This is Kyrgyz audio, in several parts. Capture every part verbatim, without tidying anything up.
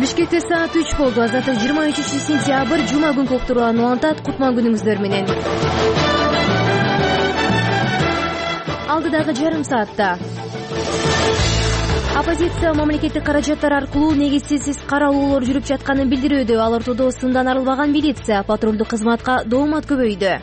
Бишкекте саат үч болду. Азаттык жыйырма үчүнчү сентябрь жума күнкү уктурууларын улантат. Кутман күнүңүздөр менен. Алдыдагы жарым саатта оппозиция мамлекеттик каражаттар аркылуу негизсиз каралуулор жүрүп жатканын билдирүүдө. Ал ортодо сындан арылбаган милиция, патрулдук кызматка доомат көбөйдү.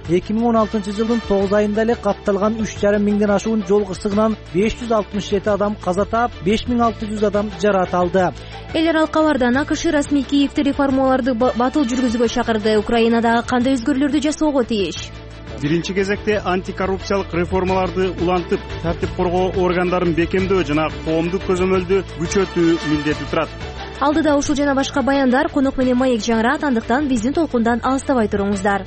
эки миң он алтынчы жылдын тогуз айында эле катталган үч жарым миңден ашуун жол кырсыгынан беш жүз алтымыш жети адам каза таап, беш миң алты жүз адам жаракат алды. Эл аралык кабардан АКШ расмий Киевти реформаларды батыл жүргүзүүгө чакырды. Украинадагы кандай өзгөрүүлөрдү жасоого тийиш? Биринчи кезекте антикоррупциялык реформаларды улантып, тартип коргоо органдарын бекемдөө жана коомдук көзөмөлдү күчөтүү милдети турат. Алдыда ушул жана башка баяндар, конок менен маек жаңырат, андыктан биздин толкундан алыстабай туруңуздар.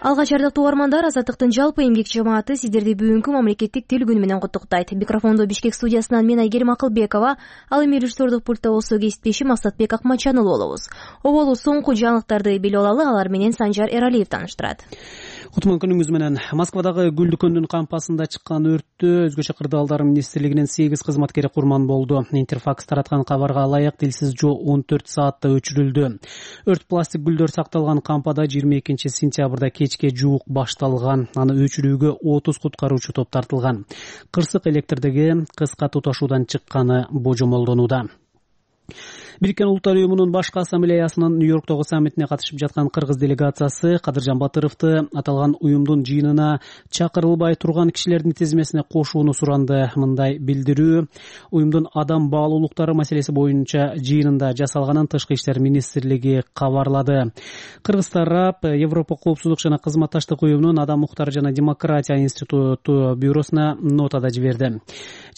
Алгач ардактуу угармандар, Азаттыктын жалпы эмгек жамааты сиздерди бүгүнкү мамлекеттик тил күнү менен куттуктайт. Микрофондо Бишкек студиясынан мен Айгерим Акылбекова, ал эми режиссердук пультта болсо кесиптешим Максатбек Акмачанұлы болобуз. Оболу соңку жаңылыктарды билип алалы, алар менен Санжар Эралиев тааныштырат. Кутман күнүңүз менен. Москвадагы Гүл дүкөндүн кампасында чыккан өрттө өзгөчө кырдаалдар министрлигинин сегиз кызматкери курман болду. Интерфакс тараткан кабарга ылайык Дилсиз жоо он төрт саатта өчүрүлдү. Өрт пластик гүлдөр сакталган кампада жыйырма экинчи сентябрда кечке жуук башталган. Аны өчүрүүгө отуз куткаруучу топ тартылган. Кырсык электрдеги кыска туташуудан чыкканы божомолдонууда. Бириккен Улуттар уюмунун башкы ассамблеясынын Нью-Йорктогу саммитине катышып жаткан кыргыз делегациясы Кадыржан Батыровду аталган уюмдун жыйынына чакырылбай турган кишилердин тизмесине кошууну суранды. Мындай билдирүү уюмдун адам баалуулуктары маселеси боюнча жыйынында жасалганын Тышкы иштер министрлиги кабарлады. Кыргыз тарап Европа коопсуздук жана кызматташтык уюмунун Адам укуктары жана демократия институту бюросуна нотада жиберди.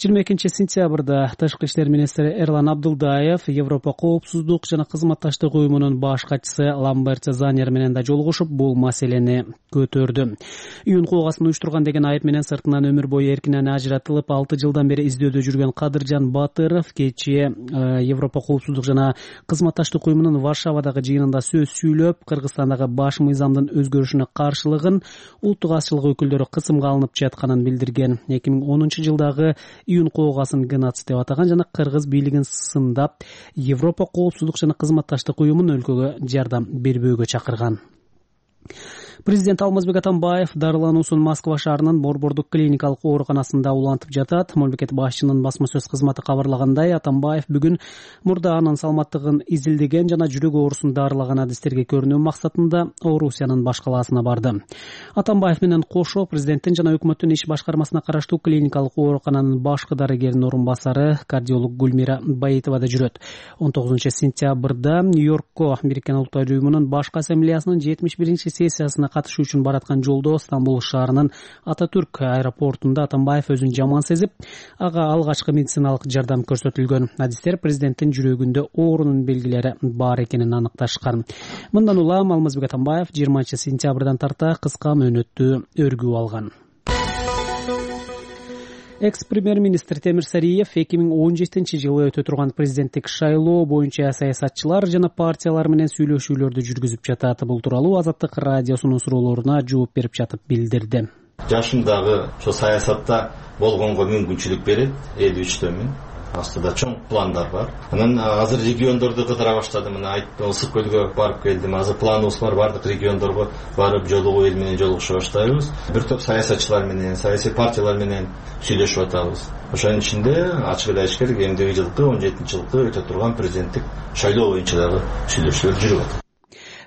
жыйырма экинчи сентябрда Тышкы иштер министри Эрлан Абдулдаев Европа коопсуздук жана кызматташтык уюмунун баш катчысы Ламберт Занер менен да жолугушуп, бул маселени көтөрдү. Үйүн куугасын уюштурган деген айып менен сыртынан өмүр бою эркинен ажыратылып, алты жылдан бери издөөдө жүргөн Кадыржан Батыров кечээ Европа коопсуздук жана кызматташтык уюмунун Варшавадагы жыйынында сөз сүйлөп, Кыргызстандагы баш мыйзамдын өзгөрүшүнө каршылыгын, улуттук азчылык өкүлдөрү кысымга алынып жатканын билдирген. эки миң онунчу жылдагы үйүн куугасын геноцид деп атаган жана кыргыз бийлигин сындап, Европа коопсуздук жана кызматташтык уюмун өлкөгө жардам бербөөгө чакырган. Президент Алмазбек Атамбаев дарылануусун Москва шаарынын Борбордук клиникалык ооруканасында улантып жатат. Мамлекет башчынын басма сөз кызматы кабарлагандай, Атамбаев бүгүн мурда анын саламаттыгын изилдеген жана жүрөк оорусун дарылаган адистерге көрүнүү максатында Орусиянын баш калаасына барды. Атамбаев менен кошо президенттин жана өкмөттүн иш башкармасына караштуу клиникалык оорукананын башкы дарыгеринин орун басары кардиолог Гүлмира Баитова да жүрөт. он тогузунчу сентябрда Нью-Йоркко Бириккен Улуттар уюмунун башкы ассамблеясынын жетимиш биринчи сессиясына катышуу үчүн бараткан жолдо Стамбул шаарынын Ататүрк аэропортунда Атамбаев өзүн жаман сезип, ага алгачкы медициналык жардам көрсөтүлгөн. Адистер президенттин жүрөгүндө оорунун белгилери бар экенин аныкташкан. Мындан улам Алмазбек Атамбаев жыйырманчы сентябрдан тарта кыска мөөнөттүү өргүү алган. Экс-премьер-министр Темир Сариев эки миң он жетинчи жылы өтө турган президенттик шайлоо боюнча саясатчылар жана партиялар менен сүйлөшүүлөрдү жүргүзүп жатат. Бул тууралуу Азаттык радиосунун суроолоруна жооп берип жатып билдирди. Жашымдагы ошо саясатта болгонго мүмкүнчүлүк берет, элүү үчтөмүн. Астыда чоң пландар бар. Анан азыр региондорду кыдыра баштадым. Мына айттым, Ысык көлгө барып келдим. Азыр планыбыз бар, бардык региондорго барып жолугуу, эл менен жолугуша баштайбыз. Бир топ саясатчылар менен, саясий партиялар менен сүйлөшүп атабыз. Ошонун ичинде ачык эле айтыш керек, эмдиги жылкы он жетинчи жылкы өтө турган президенттик шайлоо боюнча дагы сүйлөшүүлөр жүрүп атат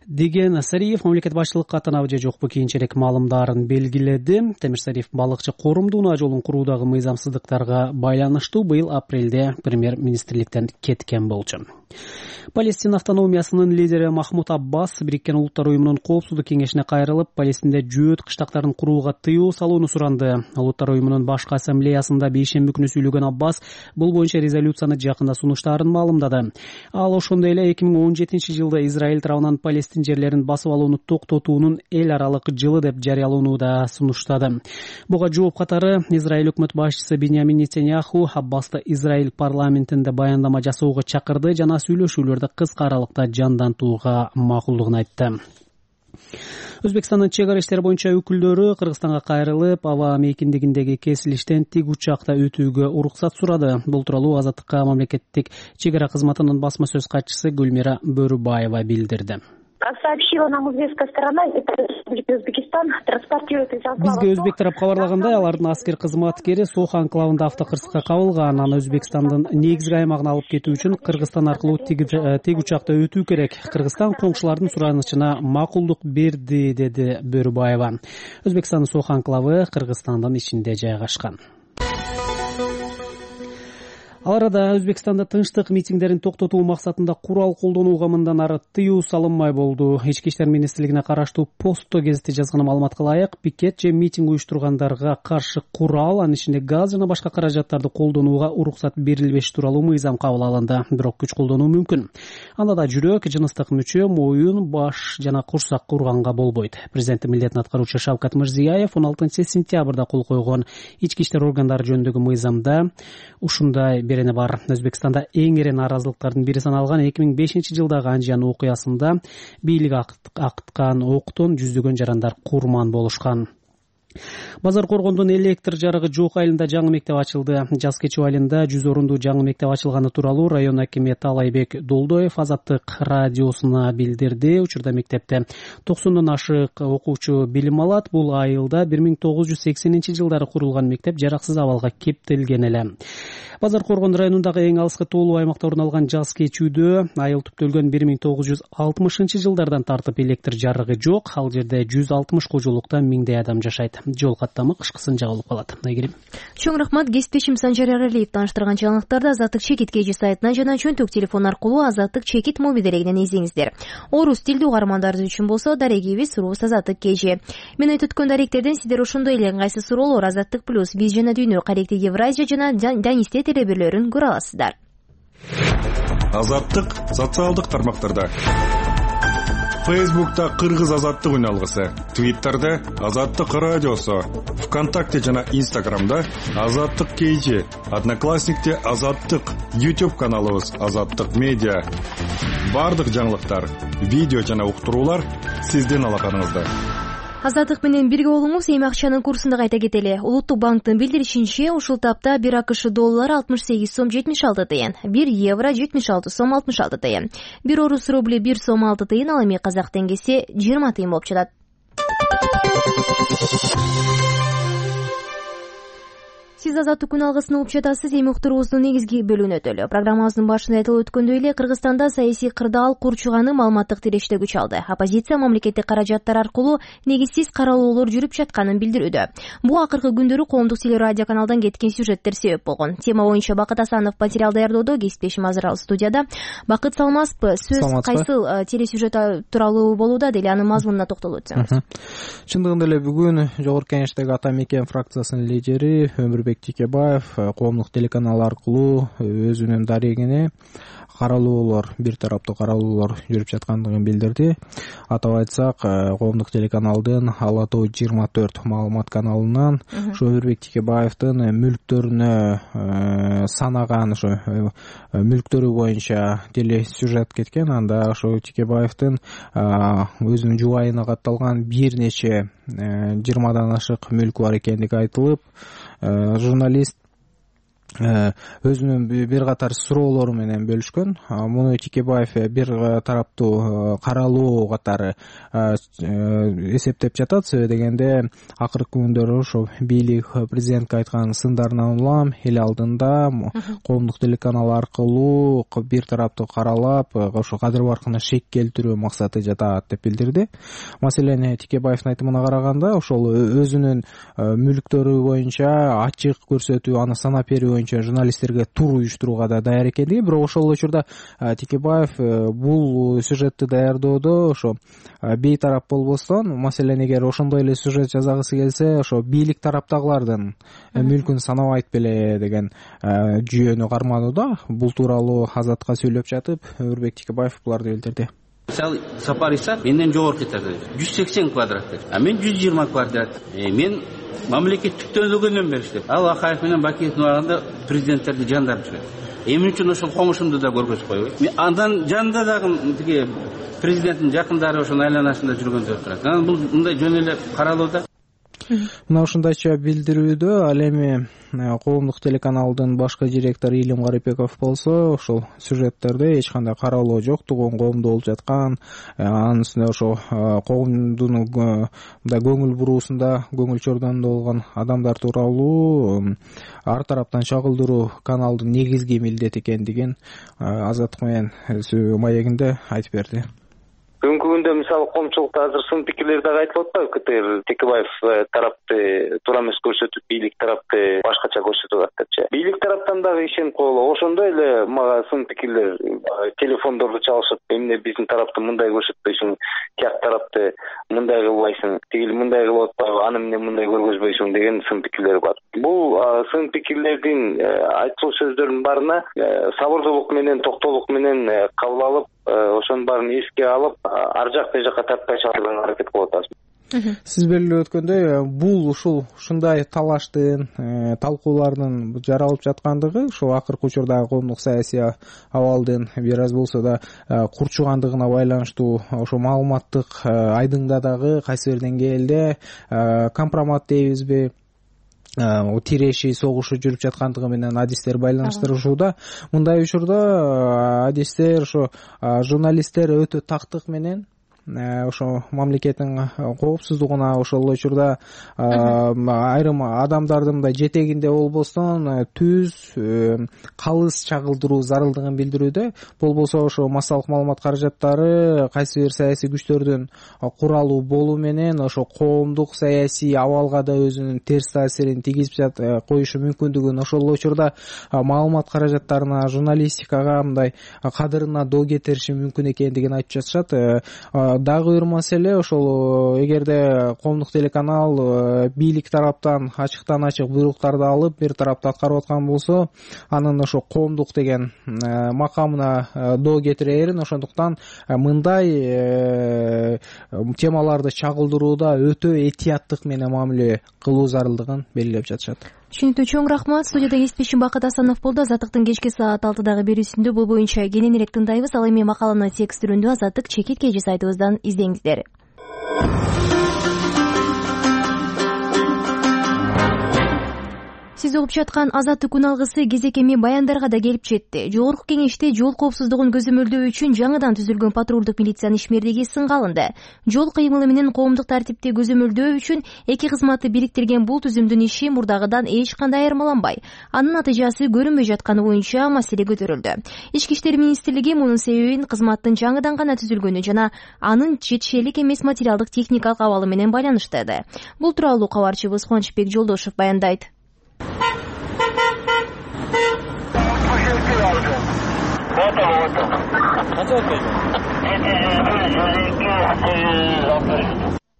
деген Сариев мамлекет башчылыкка аттанабы же жокпу кийинчерээк маалымдарын белгиледи. Темир Сариев балыкчы корумду унаа жолун куруудагы мыйзамсыздыктарга байланыштуу быйыл апрелде премьер-министрликтен кеткен болчу. Палестина автономиясынын лидери Махмуд Аббас Бириккен Улуттар уюмунун коопсуздук кеңешине кайрылып, Палестинде жөөт кыштактарын курууга тыюу салууну суранды. Улуттар уюмунун башкы ассамблеясында бейшемби күнү сүйлөгөн Аббас бул боюнча резолюцияны жакында сунуштаарын маалымдады. Ал ошондой эле эки миң он жетинчи жылда Израиль тарабынан Палестин жерлерин басып алууну токтотуунун эл аралык жылы деп жарыялоону да сунуштады. Буга жооп катары Израиль өкмөт башчысы Биньямин Нетаньяху Аббасты Израиль парламентинде баяндама жасоого чакырды жана сүйлөшүүлөрдү кыска аралыкта жандантууга макулдугун айтты. Өзбекстандын чек ара иштери боюнча өкүлдөрү Кыргызстанга кайрылып, аба мейкиндигиндеги кесилиштен тик учакта өтүүгө уруксат сурады. Бул тууралуу Азаттыкка мамлекеттик чек ара кызматынын басма сөз катчысы Гүлмира Бөрүбаева билдирди. Сообщила нам узбекская сторона, это Узбекистан транспортирует из анклава. Бизге өзбек тарап кабарлагандай, алардын аскер кызматкери Сох анклавында автокырсыкка кабылган. Аны Өзбекстандын негизги аймагына алып кетүү үчүн Кыргызстан аркылуу тик учакта өтүү керек. Кыргызстан коңшулардын суранычына макулдук берди, деди Бөрүбаева. Өзбекстандын Сох анклавы Кыргызстандын ичинде жайгашкан. Ал арада Өзбекстанда тынчтык митингдерин токтотуу максатында курал колдонууга мындан ары тыюу салынмай болду. Ички иштер министрлигине караштуу Посто гезити жазган маалыматка ылайык, пикет же митинг уюштургандарга каршы курал, анын ичинде газ жана башка каражаттарды колдонууга уруксат берилбеш тууралуу мыйзам кабыл алынды. Бирок күч колдонуу мүмкүн. Анда да жүрөк, жыныстык мүчө, моюн, баш жана курсак урганга болбойт. Президенттин милдетин аткаруучу Шавкат Мирзиёев он алтынчы сентябрда кол койгон ички иштер органдары жөнүндөгү мыйзамда ушундай берене бар. Өзбекстанда эң эре нааразылыктардын бири саналган эки миң бешинчи жылдагы Анжан окуясында бийлик акыткан октон жүздөгөн жарандар курман болушкан. Базар Коргондун электр жарыгы жок айылында жаңы мектеп ачылды. Жаз кечүү айылында жүз орунду жаңы мектеп ачылганы тууралуу район акими Талайбек Долдоев Азаттык радиосуна билдирди. Учурда мектепте токсондон ашык окуучу билим алат. Бул айылда бир миң тогуз жүз сексенинчи жылдары курулган мектеп жараксыз абалга кептелген эле. Базар Коргон районундагы эң алыскы тоолуу аймакта орун алган жаз кечүүдө айыл түптөлгөн бир миң тогуз жүз алтымышынчы жылдардан тартып электр жарыгы жок. Ал жерде жүз алтымыш кожолукта миңдей адам жашайт. Жол каттамы кышкысын жагылып калат. Айгерим. Чоң рахмат. Кесиптешим Санжар Аралиев тааныштырган жаңылыктарды Азаттык чекит кж сайтынан жана чөнтөк телефон аркылуу Азаттык чекит мобилдерегинен излеңиздер. Орус тилдүү угармандарыбыз үчүн болсо дарегибиз сурубуз Азаттык кж. Мен айтып өткөн даректерден сиздер ошондой эле ыңгайсыз суроолор Азаттык плюс, биз жана дүйнө, Каректи Евразия жана Данисте телебирлөрүн көрө аласыздар. Азаттык социалдык тармактарда. Фейсбукта Кыргыз Азаттык үналгысы, Твиттерде Азаттык радиосу, ВКонтакте жана Инстаграмда Азаттык кж, Одноклассникте Азаттык, YouTube каналыбыз Азаттык медиа. Бардык жаңылыктар, видео жана уктуруулар сиздин алаканыңызда. Азаттык менен бирге болуңуз. Эми акчанын курсун да кайта кетели. Улуттук банктын билдиришинче, ушул тапта бир АКШ доллары алтымыш сегиз сом жетимиш алты тыйын, бир евро жетимиш алты сом алтымыш алты тыйын, бир орус рубли бир сом алты тыйын, ал эми казак теңгеси жыйырма тыйын болуп жатат. Сиз Азаттык күн алгысын угуп жатасыз. Эми уктуруубуздун негизги бөлүгүнө өтөлү. Программабыздын башында айтылып өткөндөй эле, Кыргызстанда саясий кырдаал курчуганы маалыматтык тиреште күч алды. Оппозиция мамлекеттик каражаттар аркылуу негизсиз каралоолор жүрүп жатканын билдирүүдө. Бул акыркы күндөрү коомдук телерадио каналдан кеткен сюжеттер себеп болгон. Тема боюнча Бакыт Асанов материал даярдоодо, кесиптешим Азыр студияда. Бакыт, саламатсызбы? Сөз кайсыл телесюжет тууралуу болууда, деле анын мазмунуна токтолуп өтсөңүз. Чындыгында эле бүгүн Жогорку Кеңештеги Ата Мекен фракциясынын лидери Өмүрбек Тикебаев коомдук телеканал аркылуу өзүнүн дарегине каралоолор, бир тараптуу каралоолор жүрүп жаткандыгын билдирди. Атап айтсак, коомдук телеканалдын Ала тоо жыйырма төрт маалымат каналынан ошо Өмүрбек Тикебаевдин мүлктөрүнө санаган ошо мүлктөрү боюнча телесюжет кеткен. Анда ошо Тикебаевдин өзүнүн жубайына катталган бир нече жыйырмадан ашык мүлкү бар экендиги айтылып, журналист өзүнүн бир катар суроолору менен бөлүшкөн. Муну Тикебаев бир тараптуу каралоо катары эсептеп жатат. Себеби дегенде акыркы күндөрү ошо бийлик президентке айткан сындарынан улам эл алдында коомдук телеканал аркылуу бир тараптуу каралап, ошо кадыр баркына шек келтирүү максаты жатат деп билдирди. Маселен, Тикебаевдин айтымына караганда, ошол өзүнүн мүлктөрү боюнча ачык көрсөтүү, аны санап берүү журналисттерге тур уюштурууга да даяр экендиги. Бирок ошол учурда Тикебаев бул сюжетти даярдоодо ошо бейтарап болбостон, маселен, эгер ошондой эле сюжет жазагысы келсе, ошо бийлик тараптагылардын мүлкүн санабайт беле деген жүйөнү карманууда. Бул тууралуу Азатка сүйлөп жатып, Өмүрбек Тикебаев буларды билдирди. Мисалы, Сапар Исак менден жогорку этажда жүз сексен квадрат, а мен жүз жыйырма квадрат. Мен мамлекеттик төлөгөндөн беришет. Ал Акаев менен Бакиевдин барганда президенттерди жандарып жүрөт. Эмне үчүн ошол комушумду да көргөзүп койбойт? Андан жанында дагы тиги президенттин жакындары ошонун айланасында жүргөндөр турат. Анан бул мындай жөн эле каралууда. Мына ушундайча билдирүүдө ал эми коомдук телеканалдын башкы директору Илим Карипеков болсо ошол сюжеттерде эч кандай каралоо жоктугун, коомдо болуп жаткан, анын үстүнө ошо коомдун мындай көңүл буруусунда, көңүл чордонунда болгон адамдар тууралуу ар тараптан чагылдыруу каналдын негизги милдети экендигин Азаттык менен маегинде айтып берди. Бүгүнкү күндө мисалы коомчулукта азыр сын пикирлер дагы айтылып атпайбы? КТР Текебаев тарапты туура эмес көрсөтүп, бийлик тарапты башкача көрсөтүп ататчы. Бийлик тараптан дагы ишенип койгула. Ошондой эле мага сын пикирлер телефондорду чалышып, эмне биздин тарапты мындай көрсөтпөйсүң, тияк тарапты мындай кылбайсың, тигил мындай кылып атпайбы, аны эмне мындай көргөзбөйсүң деген сын пикирлер бар. Бул сын пикирлердин айтылуу сөздөрдүн баарына сабырдуулук менен, токтоолук менен кабыл алып, ошонун баарын эске алып, ар жак бер жакка тартпай чыгарганга аракет кылып атабыз. Сиз белгилеп өткөндөй, бул ушул ушундай талаштын, талкуулардын жаралып жаткандыгы ошо акыркы учурдагы коомдук саясий абалдын бир аз болсо да курчугандыгына байланыштуу ошо маалыматтык айдыңдадагы кайсы бир деңгээлде компромат дейбизби, тиреши, согушу жүрүп жаткандыгы менен адистер байланыштырышууда. Мындай учурда адистер, ошо журналисттер өтө тактык менен ошо мамлекеттин коопсуздугуна, ошол учурда айрым адамдардын мындай жетегинде болбостон түз калыс чагылдыруу зарылдыгын билдирүүдө. Болбосо ошо массалык маалымат каражаттары кайсы бир саясий күчтөрдүн куралуу болуу менен ошо коомдук саясий абалга да өзүнүн терс таасирин тийгизип коюшу мүмкүндүгүн, ошол учурда маалымат каражаттарына, журналистикага мындай кадырына доо кетириши мүмкүн экендигин айтып жатышат. Дагы бир маселе ошол эгерде коомдук телеканал бийлик тараптан ачыктан ачык буйруктарды алып бир тарапты аткарып аткан болсо, анын ошо коомдук деген макамына доо кетире берин. Ошондуктан мындай темаларды чагылдырууда өтө этияттык менен мамиле кылуу зарылдыгын белгилеп жатышат. Түшүнүктүү, чоң рахмат. Студияда кесиптешим Бакыт Асанов болду. Азаттыктын кечки саат алтыдагы берүүсүндө бул боюнча кененирээк тыңдайбыз. Ал эми макаланы текст түрүндө Азаттык чекит кеже сайтыбыздан издеңиздер. Сиз угуп жаткан Азаттык күн алгысы кезек эми баяндарга да келип жетти. Жогорку кеңеште жол коопсуздугун көзөмөлдөө үчүн жаңыдан түзүлгөн патрулдук милициянын ишмердиги сынга алынды. Жол кыймылы менен коомдук тартипти көзөмөлдөө үчүн эки кызматты бириктирген бул түзүмдүн иши мурдагыдан эч кандай айырмаланбай, анын натыйжасы көрүнбөй жатканы боюнча маселе көтөрүлдү. Ички иштер министрлиги мунун себебин кызматтын жаңыдан гана түзүлгөнү жана анын жетишерлик эмес материалдык техникалык абалы менен байланыштырды. Бул тууралуу кабарчыбыз Кубанычбек Жолдошев баяндайт.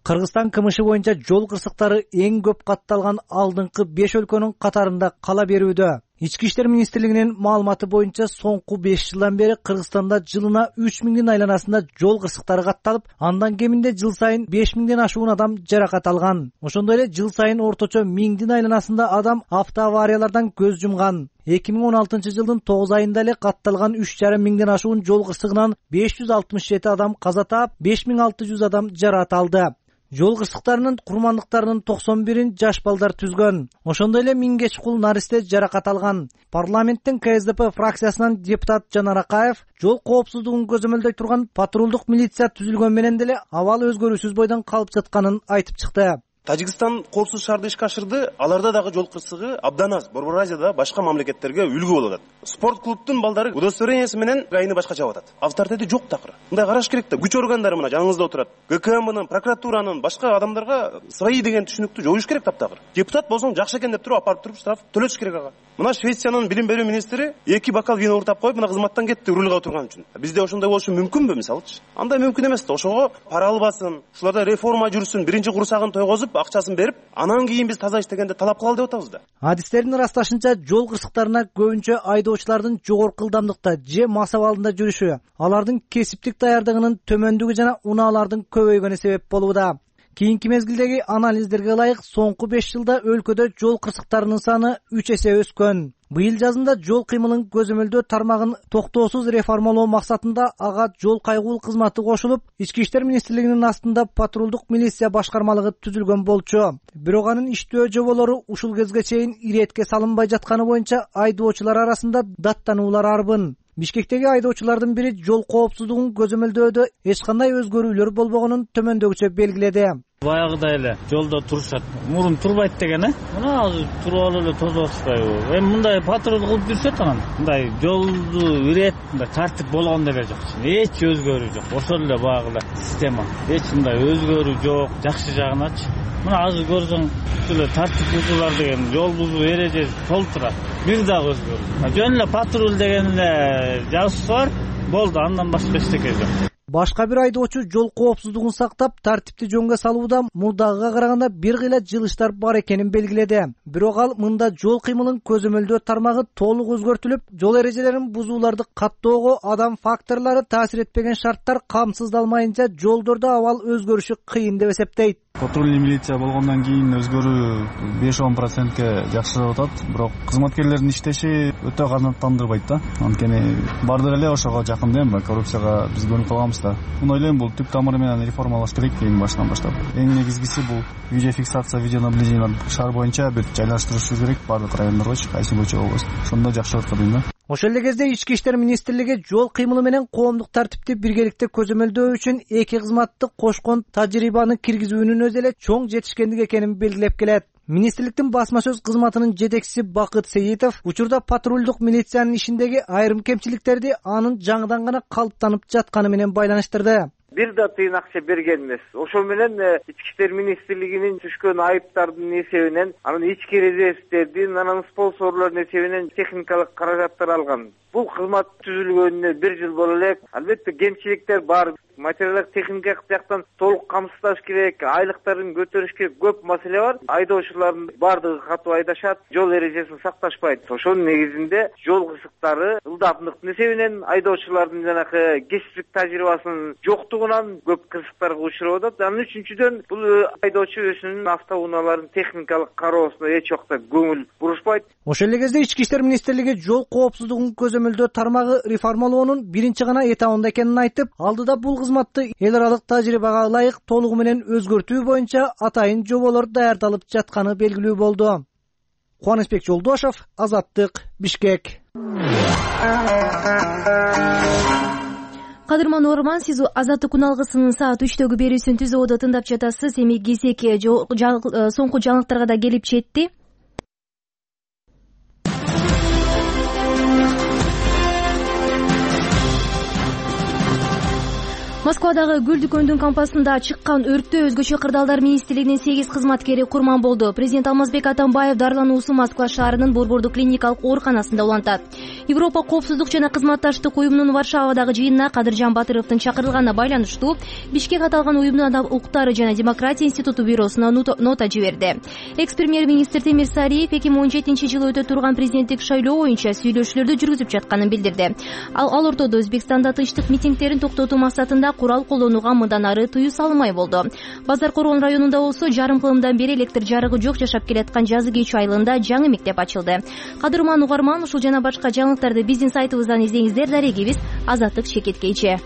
Кыргызстан КМШ боюнча жол кырсыктары эң көп катталган алдыңкы беш өлкөнүн катарында кала берүүдө. Ички иштер министрлигинин маалыматы боюнча соңку беш жылдан бери Кыргызстанда жылына үч миңдин айланасында жол кырсыктары катталып, андан кеминде жыл сайын беш миңден ашуун адам жаракат алган. Ошондой эле жыл сайын орточо миңдин айланасында адам автоавариялардан көз жумган. эки миң он алтынчы жылдын тогуз айында эле катталган үч жарым миңден ашуун жол кырсыгынан беш жүз алтымыш жети адам каза таап, беш миң алты жүз адам жаракат алды. Жол кырсыктарынын курмандыктарынын токсон бирин жаш балдар түзгөн. Ошондой эле миңге чукул наристе жаракат алган. Парламенттин КСДП фракциясынан депутат Жанар Акаев жол коопсуздугун көзөмөлдөй турган патрулдук милиция түзүлгөн менен деле абал өзгөрүүсүз бойдон калып жатканын айтып чыкты. Тажикстан коопсуз шаарды ишке ашырды. Аларда дагы жол кырсыгы абдан аз. Борбор Азияда башка мамлекеттерге үлгү болуп атат. Спорт клубтун балдары удостоверениясы менен айны башка чабып атат. Авторитети жок такыр. Мындай караш керек да. Күч органдары мына жаныңызда отурат. ГКМнын, прокуратуранын, башка адамдарга свои деген түшүнүктү жоюш керек таптакыр. Депутат болсоң жакшы экен деп туруп апарып туруп штраф төлөтүш керек ага. Мына Швециянын билим берүү министри эки бокал вино уртап коюп, мына кызматтан кетти рулга отурган үчүн. Бизде ошондой болушу мүмкүнбү мисалычы? Андай мүмкүн эмес да. Ошого пара албасын, ушуларда реформа жүрсүн, биринчи курсагын тойгозуп, акчасын берип, анан кийин биз таза иштегенде талап кылалы деп атабыз да. Адистердин ырасташынча жол кырсыктарына көбүнчө айдоочулардын жогорку ылдамдыкта же мас абалында жүрүшү, алардын кесиптик даярдыгынын төмөндүгү жана унаалардын көбөйгөнү себеп болууда. Кийинки мезгилдеги анализдерге ылайык соңку беш жылда өлкөдө жол кырсыктарынын саны үч эсе өскөн. Быйыл жазында жол кыймылын көзөмөлдөө тармагын токтоосуз реформалоо максатында ага жол кайгуул кызматы кошулуп, Ички иштер министрлигинин астында патрулдук милиция башкармалыгы түзүлгөн болчу. Бирок анын иштөө жоболору ушул кезге чейин иретке салынбай жатканы боюнча айдоочулар арасында даттануулар арбын. Бишкектеги айдоочулардын бири жол коопсуздугун көзөмөлдөөдө эч кандай өзгөрүүлөр болбогонун төмөндөгүчө белгиледи. Баягыдай эле жолдо турушат. Мурун турбайт деген, э? Мына азыр туруп эле тосуп атышпайбы? Эми мындай патруль кылып жүрсөт анан мындай жолду ирет, мындай тартип болгон деле жок. Эч өзгөрүү жок. Ошол эле баягы система. Эч мындай өзгөрүү жок. Жакшы жагыначы. Мына азыр көрсөң, эле тартип бузуулар деген жол бузуу эрежеси толтурат. Бир дагы өзгөрүү. Жөн эле патруль деген эле жазып бар. Болду, андан башка эчтеке жок. Башка бир айдоочу жол коопсуздугун сактап, тартипти жөнгө салууда мурдагыга караганда бир кыйла жылыштар бар экенин белгиледи. Бирок ал мында жол кыймылын көзөмөлдөө тармагы толук өзгөртүлүп, жол эрежелерин бузууларды каттоого адам факторлору таасир этпеген шарттар камсыздалмайынча жолдордо абал өзгөрүшү кыйын деп эсептейт. Патрульный милиция болгондон кийин өзгөрүү беш он процентке жакшырап атат, бирок кызматкерлердин иштеши өтө канааттандырбайт да. Анткени бардык эле ошого жакын да, коррупцияга биз көнүп калганбыз да. Муну ойлойм, бул түп тамыры менен реформалаш керек эң башынан баштап. Эң негизгиси бул видеофиксация, видеонаблюдение шаар боюнча бир жайлаштырышы керек бардык райондоргочу, кайсы көчө болбосун. Ошондо жакшы болот дейм да. Ошол эле кезде Ички иштер министрлиги жол кыймылы менен коомдук тартипти биргеликте көзөмөлдөө үчүн эки кызматты кошкон тажрыйбаны киргизүүнүн өзү эле чоң жетишкендик экенин белгилеп келет. Министрликтин басма сөз кызматынын жетекчиси Бакыт Сейитов учурда патрулдук милициянын ишиндеги айрым кемчиликтерди анын жаңыдан гана калыптанып жатканы менен байланыштырды. Бир да тыйын акча берген эмес. Ошол менен Ички иштер министрлигинин түшкөн айыптардын эсебинен, анын ички резервдердин, анын спонсорлордун эсебинен техникалык каражаттар алган. Бул кызмат түзүлгөнүнө бир жыл боло элек. Албетте кемчиликтер бар. Материалдык техникалык жактан толук камсыздаш керек, айлыктарын көтөрүш керек, көп маселе бар. Айдоочулардын бардыгы катуу айдашат, жол эрежесин сакташпайт. Ошонун негизинде жол кырсыктары ылдамдыктын эсебинен айдоочулардын жанагы кесиптик тажрыйбасынын жоктугунан көп кырсыктарга учурап атат. Анын үчүнчүдөн бул айдоочу өзүнүн автоунааларын техникалык кароосуна эч убакта көңүл бурушпайт. Ошол эле кезде Ички иштер министрлиги жол коопсуздугун көзөмөлдөө тармагы реформалоонун биринчи гана этабында экенин айтып, алдыда бул кызматты эл аралык тажрыйбага ылайык толугу менен өзгөртүү боюнча атайын жоболор даярдалып жатканы белгилүү болду. Кубанычбек Жолдошов, Азаттык, Бишкек. Кадырман Орман, сиз Азаттык күн алгысынын саат үчтөгү берүүсүн түзүп отуп тыңдап жатасыз. Эми кезек соңку жаңылыктарга да келип жетти. Москвадагы гүл дүкөнүнүн кампасында чыккан өрттө өзгөчө кырдаалдар министрлигинин сегиз кызматкери курман болду. Президент Алмазбек Атамбаев дарылануусу Москва шаарынын Борбордук клиникалык ооруканасында улантат. Европа коопсуздук жана кызматташтык уюмунун Варшавадагы жыйынына Кадыржан Батыровдун чакырылганына байланыштуу Бишкек аталган уюмдун адам укуктары жана демократия институту бюросуна нота жиберди. Экс-премьер-министр Темир Сариев эки миң он жетинчи жылы өтө турган президенттик шайлоо боюнча сүйлөшүүлөрдү жүргүзүп жатканын билдирди. Ал ал ортодо Өзбекстанда тынчтык митингдерин токтотуу максатында курал колдонууга мындан ары тыюу салынмай болду. Базар Коргон районунда болсо жарым кылымдан бери электр жарыгы жок жашап келаткан Жазы Кечүү айылында жаңы мектеп ачылды. Кадырман Угарман, ушул жана башка жаңылыктарды биздин сайтыбыздан издеңиздер. Дарегибиз Азаттык Шекеткейчи.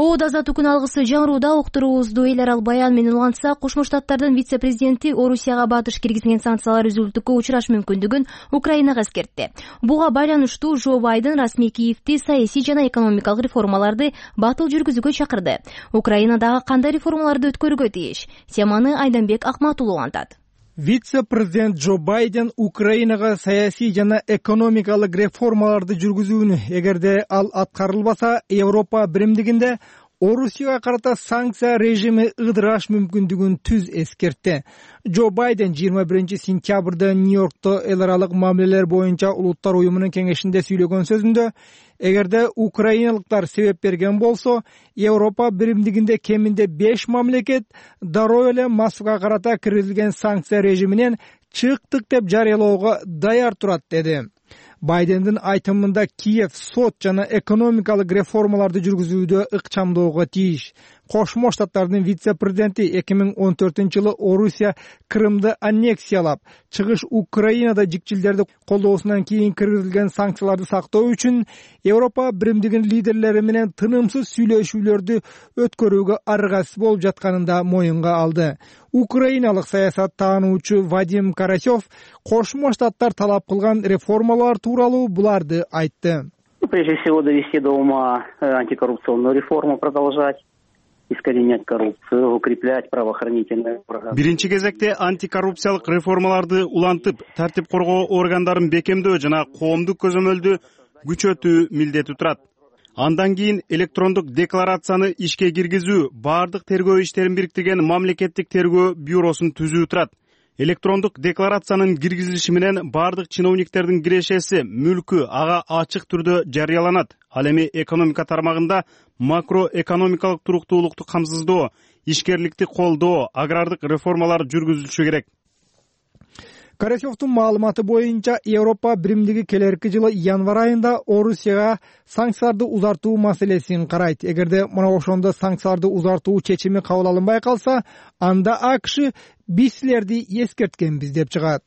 Оодо Азаттык күн алгысы жаңырууда уктуруубузду эл аралык баян менен улантсак, Кошмо Штаттардын вице-президенти Орусияга батыш киргизген санкциялар үзүлтүүгө учураш мүмкүндүгүн Украинага эскертти. Буга байланыштуу Жо Байден расмий Киевти саясий жана экономикалык реформаларды батыл жүргүзүүгө чакырды. Украинадагы кандай реформаларды өткөрүүгө тийиш? Теманы Айданбек Акматулов улантат. Вице-президент Жо Байден Украинага саясий жана экономикалык реформаларды жүргүзүүнү, эгерде ал аткарылбаса, Европа биримдигинде Орусияга карата санкция режими ыдыраш мүмкүндүгүн түз эскертти. Жо Байден жыйырма биринчи сентябрда Нью-Йоркто эл аралык мамилелер боюнча улуттар уюмунун кеңешинде сүйлөгөн сөзүндө, эгерде украиналыктар себеп берген болсо, Европа биримдигинде кеминде беш мамлекет дароо эле Москвага карата киргизилген санкция режиминен чыктык деп жарыялоого даяр турат деди. Байдендин айтымында Киев сот жана экономикалык реформаларды жүргүзүүдө ыкчамдоого тийиш. Кошмо Штаттардын вице-президенти эки миң он төртүнчү жылы Орусия Крымды аннексиялап, чыгыш Украинада жикчилдерди колдоосунан кийин киргизилген санкцияларды сактоо үчүн Европа биримдигинин лидерлери менен тынымсыз сүйлөшүүлөрдү өткөрүүгө аргасыз болуп жатканын да моюнга алды. Украиналык саясат таануучу Вадим Карасев Кошмо Штаттар талап кылган реформалар тууралуу буларды айтты. Прежде всего довести до ума антикоррупционную реформу, продолжать искоренять коррупцию, укреплять правоохранительные органы. Биринчи кезекте антикоррупциялык реформаларды улантып, тартип коргоо органдарын бекемдөө жана коомдук көзөмөлдү күчөтүү милдети турат. Андан кийин электрондук декларацияны ишке киргизүү, баардык тергөө иштерин бириктирген мамлекеттик тергөө бюросун түзүү турат. Электрондук декларациянын киргизилиши менен баардык чиновниктердин кирешеси, мүлкү ага ачык түрдө жарыяланат. Ал эми экономика тармагында макроэкономикалык туруктуулукту камсыздоо, ишкерликти колдоо, агрардык реформалар жүргүзүлүшү керек. Карасевдун маалыматы боюнча Европа биримдиги келерки жылы январь айында Орусияга санкцияларды узартуу маселесин карайт. Эгерде мына ошондо санкцияларды узартуу чечими кабыл алынбай калса, анда АКШ биз силерди эскерткенбиз деп чыгат.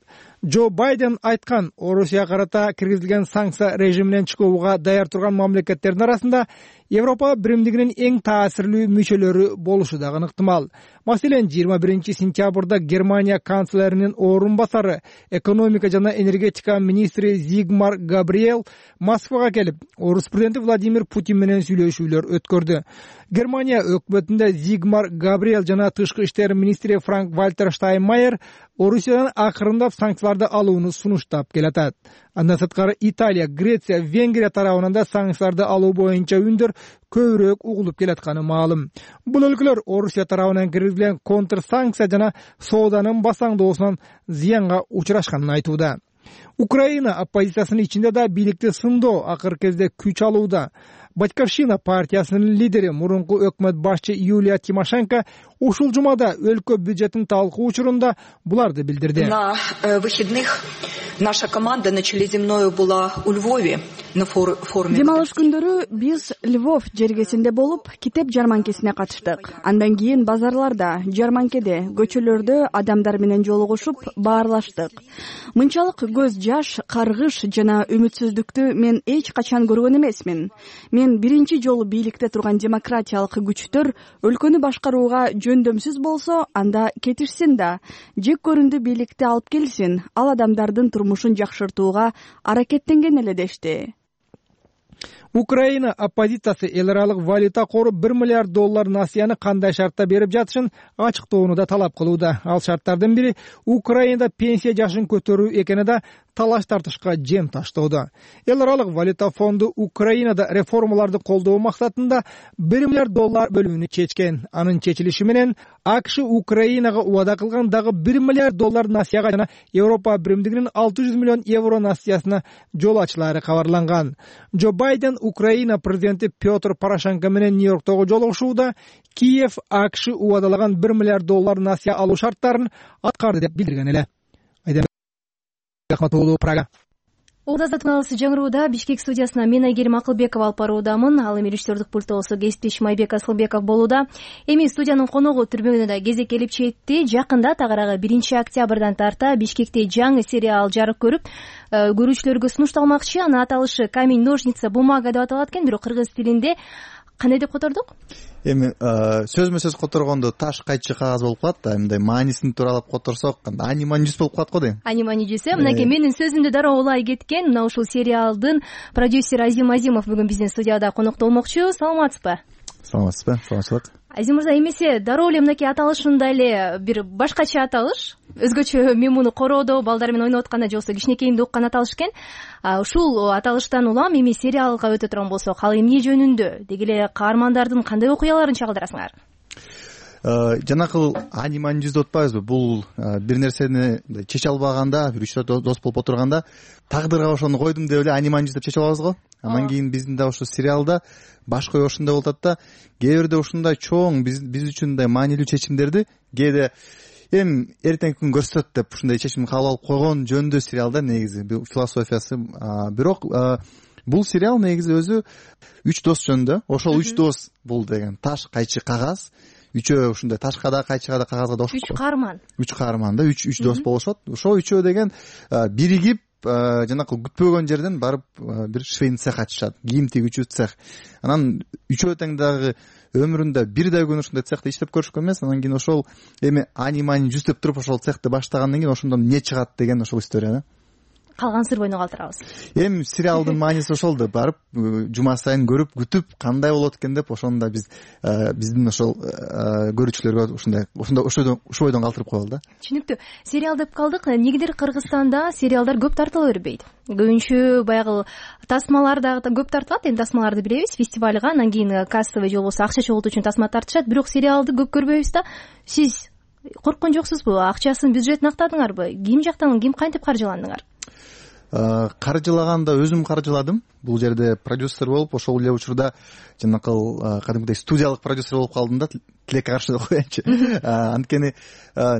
Джо Байден айткан, Орусияга карата киргизилген санкция режиминен чыгууга даяр турган мамлекеттердин арасында Европа биримдигинин эң таасирлүү мүчөлөрү болушу дагы ыктымал. Маселен, жыйырма биринчи сентябрда Германия канцлеринин орун басары, экономика жана энергетика министри Зигмар Габриэл Москвага келип, Орус президенти Владимир Путин менен сүйлөшүүлөр өткөрдү. Германия өкмөтүндө Зигмар Габриэл жана тышкы иштер министри Франк Вальтер Штайнмайер Орусиядан акырындап санкцияларды алууну сунуштап келатат. Андан сырткары Италия, Греция, Венгрия тарабынан да санкцияларды алуу боюнча үндөр көбүрөөк угулуп келатканы маалым. Бул өлкөлөр Орусия тарабынан киргизилген контр санкция жана сооданын басаңдоосунан зыянга учурашканын айтууда. Украина оппозициясынын ичинде да бийликти сындоо акыркы кезде күч алууда. Батьківщина партиясынын лидери, мурунку өкмөт башчы Юлия Тимошенко ушул жумада өлкө бюджетин талкуу учурунда буларды билдирди. На выходных наша команда на Челеземною была у Львове на форуме. Дем алыш күндөрү биз Львов жергесинде болуп, китеп жарманкесине катыштык. Андан кийин базарларда, жарманкеде, көчөлөрдө адамдар менен жолугушуп, баарлаштык. Мынчалык көз жаш, каргыш жана үмүтсүздүктү мен эч качан көргөн эмесмин. Мен биринчи жолу бийликте турган демократиялык күчтөр өлкөнү башкарууга жөндөмсүз болсо, анда кетишсин да, жек көрүндү бийликте алып келсин, ал адамдардын турмушун жакшыртууга аракеттенген эле дешти. Украина оппозициясы эл аралык валюта кору бир миллиард доллар насыяны кандай шартта берип жатышын ачыктоону да талап кылууда. Ал шарттардын бири Украинада пенсия жашын көтөрүү экени да талаш тартышка жем таштоодо. Эл аралык валюта фонду Украинада реформаларды колдоо максатында бир миллиард доллар бөлүүнү чечкен. Анын чечилиши менен АКШ Украинага убада кылган дагы бир миллиард доллар насыяга жана Европа биримдигинин алты жүз миллион евро насыясына жол ачылаары кабарланган. Джо Байден Украина президенти Петр Порошенко менен Нью-Йорктогу жолугушууда Киев АКШ убадалаган бир миллиард доллар насыя алуу шарттарын аткарды деп билдирген эле. Прага. Улдазат каналысы жаңырууда Бишкек студиясына мен Айгерим Акылбекова алып баруудамын. Ал эми режиссердик пультта болсо кесиптешим Майбек Асылбеков болууда. Эми студиянын коногу түрмөгүнө да кезек келип жетти. Жакында тагыраагы биринчи октябрдан тарта Бишкекте жаңы сериал жарык көрүп, көрүүчүлөргө сунушталмакчы. Анын аталышы камень ножница бумага деп аталат экен, бирок кыргыз тилинде кандай деп котордук? Эми сөзмө сөз которгондо таш кайчы кагаз болуп калат да, мындай маанисин тууралап которсок, анимани жүз болуп калат го дейм. Анимани жүз, мынакей менин сөзүмдү дароо улай кеткен. Мына ушул сериалдын продюсери Азим Азимов бүгүн биздин студияда конокто болмокчу. Саламатсызбы? Саламатсызбы? Саламатчылык. Азим мырза, эмесе дароо эле мынакей аталышында эле бир башкача аталыш, өзгөчө мен муну короодо балдар менен ойноп атканда же болбосо кичинекейимде уккан аталыш экен. Ушул аталыштан улам эми сериалга өтө турган болсок, ал эмне жөнүндө, деги эле каармандардын кандай окуяларын чагылдырасыңар? Жанакыл анимани жүз деп атпайбызбы? Бул бир нерсени чече албаганда, бир үч дос болуп отурганда тагдырга ошону койдум деп эле анимани жүз деп чечип алабыз го. Андан кийин биздин да ошо сериалда башка ой ошондой болуп атат да, кээ бирде ушундай чоң биз биз үчүн мындай маанилүү чечимдерди кээде эми эртеңки күн көрсөтөт деп ушундай чечим кабыл алып койгон жөнүндө сериал да негизи философиясы. Бирок бул сериал негизи өзү үч дос жөнүндө. Ошол үч дос бул деген таш, кайчы, кагаз. Үчөө ушундай ташка да, кайчыга да, кагазга да окшоп. Үч каарман. Үч каарман да, үч үч дос болушат. Ошол үчөө деген биригип жанакы күтпөгөн жерден барып бир швейный цех ачышат. Кийим тигүүчү цех. Анан үчөө тең дагы өмүрүндө бир да күн ушундай цехте иштеп көрүшкөн эмес. Анан кийин ошол эми ани-мани жүздөп туруп ошол цехти баштагандан кийин ошондон эмне чыгат деген ошол история да. Калган сыр бойдон калтырабыз. Эми сериалдын мааниси ошол да, барып жума сайын көрүп күтүп кандай болот экен деп ошону да биз биздин ошол көрүүчүлөргө ушундай ушундай ошол бойдон калтырып коелу да. Түшүнүктүү. Сериал деп калдык. Негедир Кыргызстанда сериалдар көп тартыла бербейт. Көбүнчө баягы тасмалар дагы көп тартылат. Эми тасмаларды билебиз, фестивалга, анан кийин кассовый же болбосо акча чогултуу үчүн тасма тартышат. Бирок сериалды көп көрбөйбүз да. Сиз корккон жоксузбу? Акчасын, бюджетин актадыңарбы? Ким жактан, ким кантип каржыландыңар? Каржылаганда өзүм каржыладым. Бул жерде продюсер болуп, ошол эле учурда жанакы кадимкидей студиялык продюсер болуп калдым да, тилекке каршы деп коеюнчу. Анткени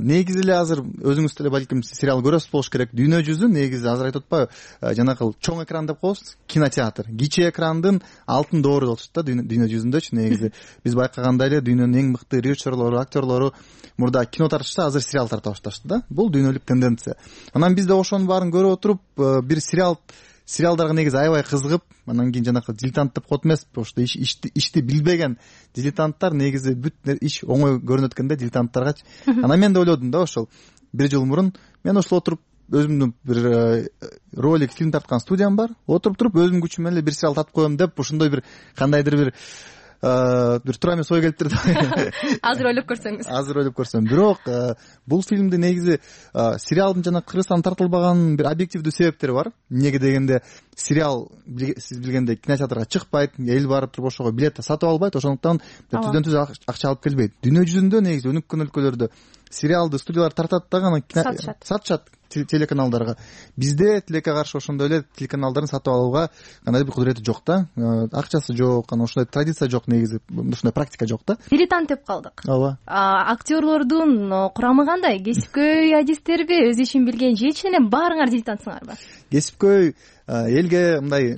негизи эле азыр өзүңүз деле балким сериал көрөсүз болуш керек. Дүйнө жүзү негизи азыр айтып атпайбы, жанакы чоң экран деп коебуз, кинотеатр. Кичи экрандын алтын доору болчу да дүйнө жүзүндөчү негизи. Биз байкагандай эле дүйнөнүн эң мыкты режиссерлору, актерлору мурда кино тартышса, азыр сериал тарта башташты да. Бул дүйнөлүк тенденция. Анан биз да ошонун баарын көрүп отуруп, бир сериал сериалдарга негизи аябай кызыгып, анан кийин жанакы дилетант деп коет эмеспи, ошто ишти ишти билбеген дилетанттар негизи бүт иш оңой көрүнөт экен да дилетанттаргачы. Анан мен да ойлодум да, ошол бир жыл мурун мен ошол отуруп өзүмдүн бир ролик фильм тарткан студиям бар. Отуруп туруп өзүмдүн күчүм менен эле бир сериал тартып коем деп ошондой бир кандайдыр бир бир туура эмес ой келип турду. Азыр ойлоп көрсөңүз. Азыр ойлоп көрсөм. Бирок бул фильмди негизи сериалдын жана Кыргызстанда тартылбаган бир объективдүү себептери бар. Эмнеге дегенде сериал сиз билгендей кинотеатрга чыкпайт, эл барып туруп ошого билет сатып албайт, ошондуктан түздөн түз акча алып келбейт. Дүйнө жүзүндө негизи өнүккөн өлкөлөрдө сериалды студиялар тартат дагы анан сатышат телеканалдарга. Бизде тилекке каршы ошондой эле телеканалдарын сатып алууга кандайдыр бир кудурети жок да. Акчасы жок, анан ошондой традиция жок негизи, ошондой практика жок да. Дилетант деп калдык. Ооба. Актерлордун курамы кандай? Кесипкөй адистерби, өз ишин билген же чын эле баарыңар дилетантсыңарбы? Кесипкөй элге мындай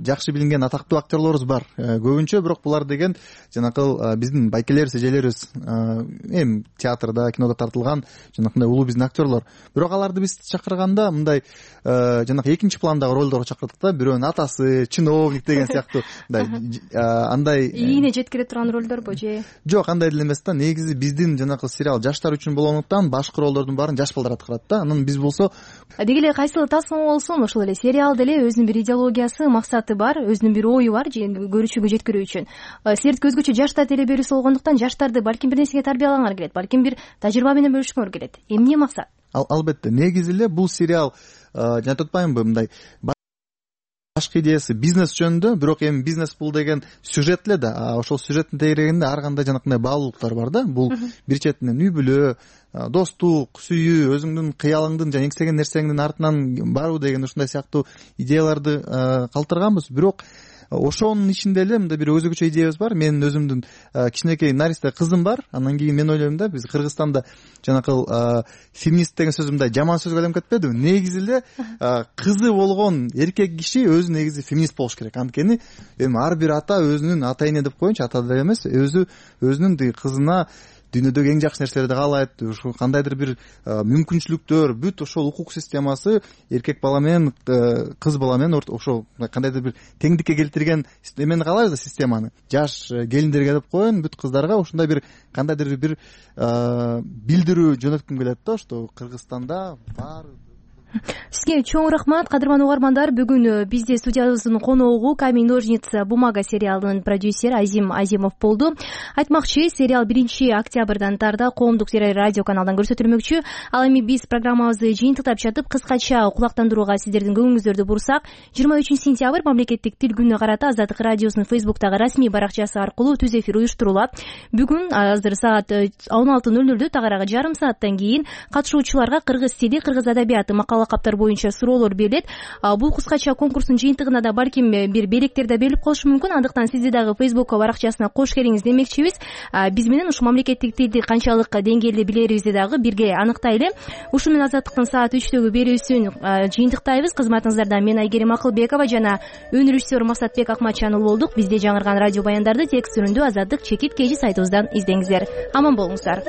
жакшы билинген атактуу актерлорубуз бар. Көбүнчө бирок булар деген жанакы биздин байкелерибиз, эжелерибиз, эми театрда, кинодо тартылган жанакындай улуу биздин актерлор. Бирок аларды биз чакырганда мындай жанакы экинчи пландагы ролдорго чакырдык да. Бирөөнүн атасы, чиновник деген сыяктуу мындай андай ийине жеткире турган ролдорбу же? Жок, андай деле эмес да. Негизи биздин жанакы сериал жаштар үчүн болгондуктан башкы ролдордун баарын жаш балдар аткарат да. Анан биз болсо деги эле кайсыл тасма болсун, ошол эле сериал деле өзүнүн бир идеологиясы, максаты бар, өзүнүн бир ою бар, же көрүүчүгө жеткирүү үчүн. Силердики өзгөчө жаштар телеберүүсү болгондуктан жаштарды балким бир нерсеге тарбиялаңар келет, балким бир тажрыйба менен бөлүшкөңөр келет. Эмне максат? Албетте, негизи эле бул сериал жана айтпаймынбы, мындай башкы идеясы бизнес жөнүндө, бирок эми бизнес бул деген сюжет эле да. Ошол сюжеттин тегерегинде ар кандай жанакындай баалуулуктар бар да. Бул бир четинен үй бүлө, достук, сүйүү, өзүңдүн кыялыңдын жана эңсеген нерсеңдин артынан баруу деген ушундай сыяктуу идеяларды калтырганбыз. Бирок ошонун ичинде эле мындай бир өзгөчө идеябыз бар. Менин өзүмдүн кичинекей наристе кызым бар. Андан кийин мен ойлойм да, биз Кыргызстанда жанакы феминист деген сөз мындай жаман сөзгө айланып кетпедиби? Негизи эле кызы болгон эркек киши өзү негизи феминист болуш керек. Анткени эми ар бир ата өзүнүн ата эне деп коеюнчу, ата деле эмес, өзү өзүнүн кызына дүйнөдөгү эң жакшы нерселерди каалайт, ушул кандайдыр бир мүмкүнчүлүктөр, бүт ошол укук системасы эркек бала менен кыз бала менен ошол кандайдыр бир теңдикке келтирген эмени каалайбыз да, системаны. Жаш келиндерге деп коеюн, бүт кыздарга ушундай бир кандайдыр бир билдирүү жөнөткүм келет да, что Кыргызстанда бар. Сизге чоң рахмат, кадырман угармандар. Бүгүн бизде студиябыздын коногу камень ножницы бумага сериалынын продюсери Азим Азимов болду. Айтмакчы, сериал биринчи октябрдан тарда коомдук радио каналдан көрсөтүлмөкчү. Ал эми биз программабызды жыйынтыктап чатып, кыскача кулактандырууга сиздердин көңүңүздөрдү бурсак, жыйырма үчүнчү сентябрь мамлекеттик тил күнүнө карата Азаттык радиосунун Фейсбуктагы расмий баракчасы аркылуу түз эфир уюштурулат. Бүгүн азыр саат он алты ноль нолдө тагыраагы жарым сааттан кийин катышуучуларга кыргыз тили, кыргыз адабияты макал лакаптар боюнча суроолор берилет. Бул кыскача конкурстун жыйынтыгына да балким бир белектер да берилип калышы мүмкүн. Андыктан сизди дагы Фейсбукка баракчасына кош келиңиз демекчибиз. Биз менен ушу мамлекеттик тилди канчалык деңгээлде билерибизди дагы бирге аныктайлы. Ушу менен Азаттыктын саат үчтөгү берүүсүн жыйынтыктайбыз. Кызматыңыздарда мен Айгерим Акылбекова жана өнөр режиссер Масатбек Акматчанов болдук. Бизде жаңырган радио баяндарды текст түрүндө Азаттык чекит кежи сайтыбыздан издеңиздер. Аман болуңуздар.